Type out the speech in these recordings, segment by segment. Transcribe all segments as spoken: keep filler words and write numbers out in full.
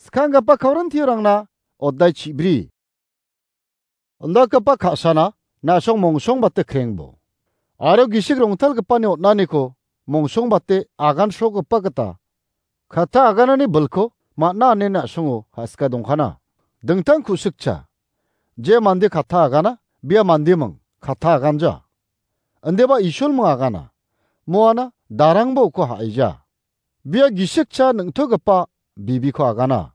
Skanggipa Korintiorangna oddai chibri. Indakgipa ka·sana na·song mongsongbate krengbo. Aro gisik rongtalgipani on·aniko mongsongbate agansrogipa gita katta aganani bilko man·a ine na·songo ha·sika dongkana. Dingtang ku·sikcha, je mande katta agana, bia mandeming katta aganja. Indiba Isolming agana, moana darangba uko ha·aija. Bia gisikcha ningtogipa bibiko agana.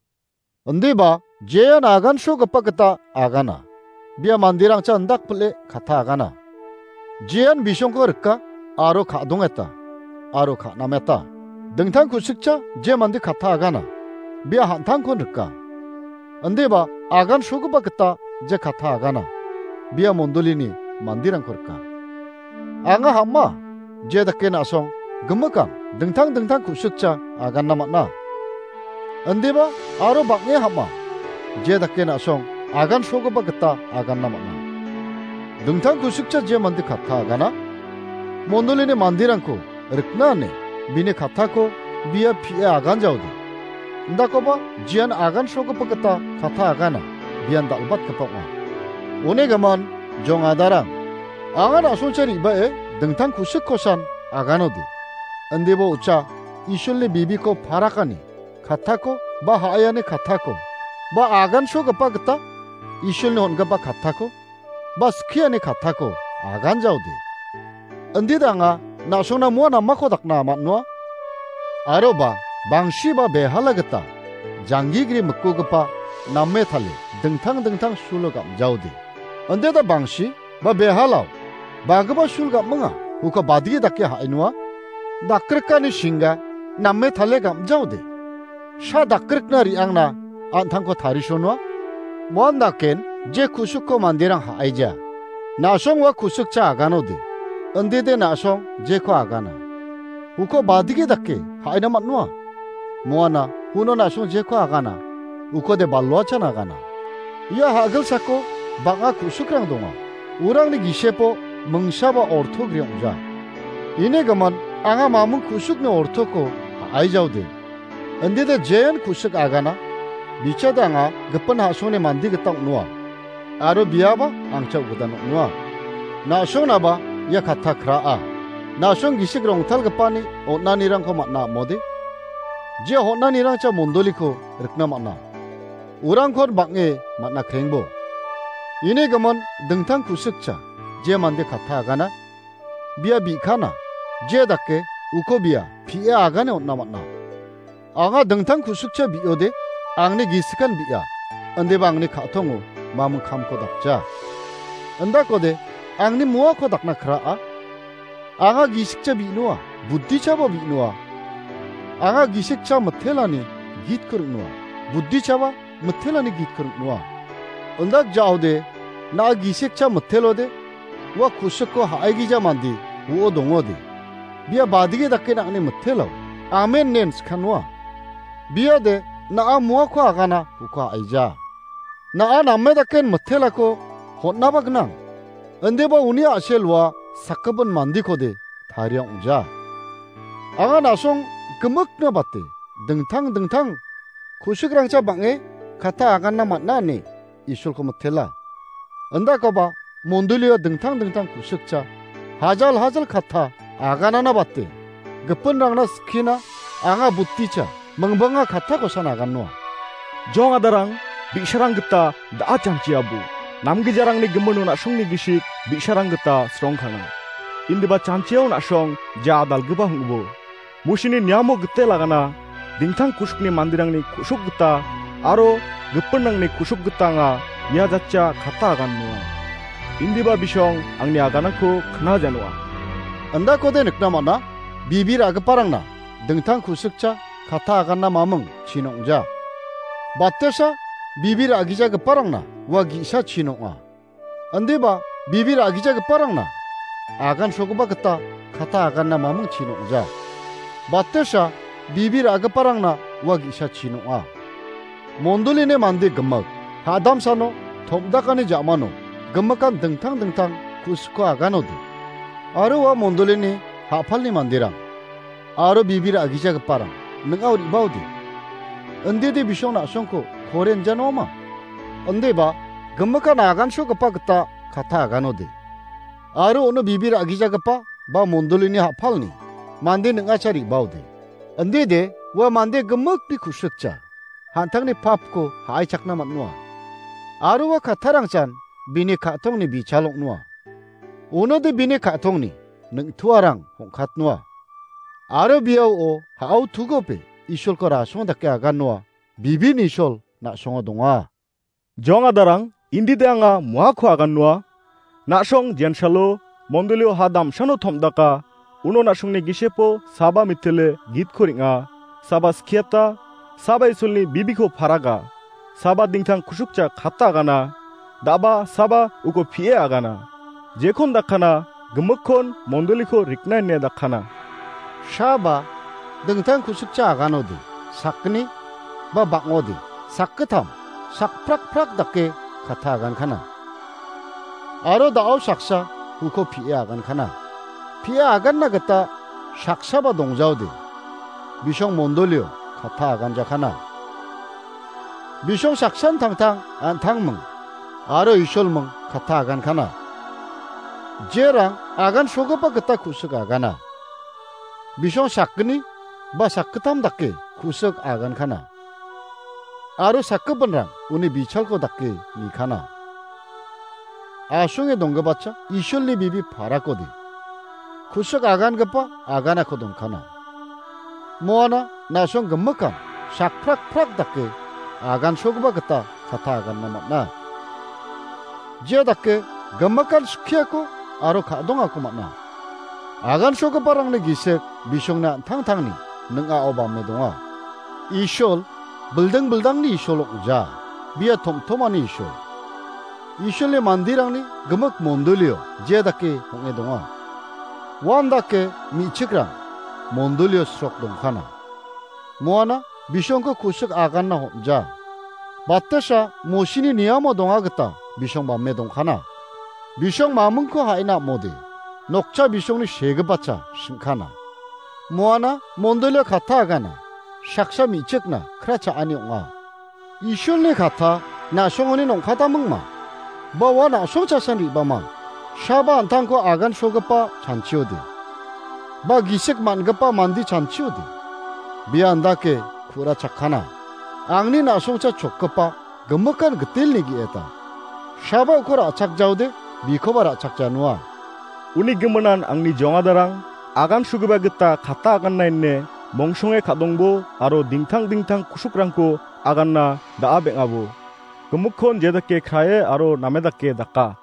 Indiba jean agansrogipa gita agana. Bia manderangcha indakpile katta agana. Jean bisongko rika aro ka·dongeta, aro ka·nameta. Dingtang ku·sikcha je mande katta agana. Bia han·tangkon rika. Indiba agansrogipa gita je katta agana. Bia mondolini manderangko rika. Anga ham·a, je dake na·song gimikan dingtang dingtang ku·sikcha aganna man·a. Indiba aro bang·e ham·a, je dake na·song agansrogipa gita aganna man·a. Dingtang ku·sikcha je mande katta agana, mondolini manderangko rikna ine bini kattako bia pie aganjaode. Indakoba jean agansrogipa gita katta agana, bian dal·batgipa ong·a. Uni gimin, jong adarang, anga na·songcha re·bae dingtang ku·sikkosan aganode. Indiba ucha Isolni bibiko parakani kattako ba ha·aiani kattako ba agansrogipa gita Isolni on·gipa kattako ba skiani kattako aganjaode. Indide anga na·songna moa namako dakna man·noa. Aroba bangsi ba behala gita janggigri mikkugipa name tale dingtang dingtang sulo gam·jaode. Indide bangsi ba behalao bagipa sul gam·minga, uko badige dake ha·ainoa. Dakrikani singga name tale gam·jaode. Sa dakrikna re·angna an·tangko tarisonoa. Moan daken je ku·sikko manderang ha·aija. Na·song ua ku·sikcha aganode. Indide na·song jeko agana. Uko badige dake ha·aina man·noa. Moana uno na·song jeko agana. Ukode baloachan agana. Ia ha·gilsako bang·a ku·sikrang donga. Urangni gisepo mingsaba orto gri ong·ja. Ini gimin anga mamung ku·sikni ortoko ha·aijaode. Indide jean ku·sik agana, bichade anga gipin ha·songni mande gita ong·noa. Aro biaba angcha ugidan ong·noa. Na·songnaba ia katta kraa. Na·song gisik rongtalgipani on·anirangko man·a am·ode. Je on·anirangcha mondoliko rikna man·a. Urangkon bang·e man·a krengbo. Ini gimin dingtang ku·sikcha je mande katta agana, bia bi·kana, je dake uko bia pie agane on·na man·a. Anga dingtang ku·sikcha bi·ode, angni gisikan bi·a, indiba angni ka·tongo mamung kamko dakja. Indakode, angni moako dakna kraa. Anga gisikcha bi·noa, buddichaba bi·noa. Anga gisikcha mitelani gitko ring·noa, buddichaba mitelani gitko ring·noa. Indak ja·ode, na·a gisikcha mitelode, ua ku·sikko ha·aigija mande uo dongode. Bia badige dake nang·ni mitelo. Amen nen skanoa. Biade, na·a moako agana uko ha·aija. Na·a name daken mitelako hon·naba gnang. Indiba uni a·sel ua sakgipin mandekode taria ong·ja. Anga na·song gimikna bate dingtang dingtang ku·sikrangcha bang·e katta aganna man·a ine Isolko mitela. Indakoba mondolio dingtang dingtang ku·sikcha hajal hajal katta aganana bate gipinrangna skina anga buticha mingbanga kattakosan agannoa. Jong adarang, bi·sarang gita da·a chanchiabo. Namgijarangni gimino na·songni gisik bi·sarang gita srongkana. Indiba chanchiao na·song ja adalgipa hong·bo. Musini niamo gite lagana, dingtang ku·sukni manderangni ku·suk gita aro gipinrangni ku·suk gita anga ia jatchia katta agannoa. Indiba bisong angni aganako knajanoa. Indakode nikna man·a, bibir a·giparangna dingtang ku·sikcha katta aganna maming chin ong·ja. Batesa bibir a·gijagiparangna ua ge·sa chin ong·a. Indiba bibir a·gijagiparangna agansogipa gita katta aganna maming chin ong·ja. Batesa bibir a·giparangna ua ge·sa chin ong·a. Mondolini mande gimik, hadamsano tom·dakani ja·mano gimikan dingtang dingtang ku·sikko aganode. Aro ua mondolini ha·palni manderang aro bibir a·gijagiparang ning·ao re·baode. Indide bisong na·songko kore injanoma? Indeba gimikan agansogipa gita katta aganode. Aro uno bibi ra·gijagipa ba mondolini ha·palni mande ning·acha re·baode. Indide ua mande gimikni ku·sikja, an·tangni papko ha·aichakna man·oa. Aro ua kattarangchan bini ka·tongni bichal ong·noa. Unode bini ka·tongni ning·tuarang hong·katnoa. Aro biao ha·ao tugope Isolko rasong dake agannoa, bibin Isol na·songo donga. Jong adarang, indide anga moako agannoa. Na·song jensalo, mondolio ha damsano tom·daka, uno na·songni gisepo saba mitile gitko ring·a, saba skiata, saba Isolni bibiko paraga, saba dingtang ku·sikja katta agana, daba saba uko pie agana. Jekon dakana, gimikkon mondoliko rikna ine dakana. Saba dingtang ku·sikja aganode, sakgni ba bang·ode, sakgittam, sakprakprak dake katta agankana. Aro da·o saksa uko pie agankana. Pie aganna gita saksaba dongjaode, bisong mondolio katta aganjakana. Bisong saksan tangtang an·tangming aro Isolming katta agankana. Jerang agansogipa gita ku·sik agana, bisong sakgni ba sakgittam dake ku·sik agankana. Aro sakgipinrang uni bichalko dake nikana. Asonge donggipacha Isolni bibi parakode, ku·sik agangipa aganako donkana. Moana na·song gimikan sakprakprak dake agansogipa gita katta aganna man·a. Jia dake gimikan skiako aro ka·dongako man·a. Agansogiparangni gisik bisongni an·tangtangni ning·ao bame donga. Isol bilding bildangni Isol ong·ja, bia tomtomani Isol. Isolni manderangni gimik mondolio jia dake ong·e donga. Uan dake me·chikrang mondolio srok dongkana. Moana bisongko ku·sik aganna hom·ja. Batasa Mosini niamo donga gita bisong bame dongkana. Bisong mamingko ha·ina am·ode, nokcha bisongni segipacha sing·kana. Moana mondolia katta agana, saksa me·chikna kra cha·ani ong·a. Isolni katta na·songoni nongkatamingma, ba ua na·song chasan re·bama, saba an·tangko agansogipa chanchiode, ba gisik man·gipa mande chanchiode, bia andake ku·ra chakkana. Angni na·songcha chokgipa gimikan gitilni ge·eta, saba uko ra·chakjaode, bikoba ra·chakjanoa. Uni giminan angni jongadarang agansogipa gita katta aganna ine mongsonge ka·dongbo aro dingtang dingtang ku·sikrangko aganna da·a beng·abo. Gimikkon jedake krae aro namedake daka.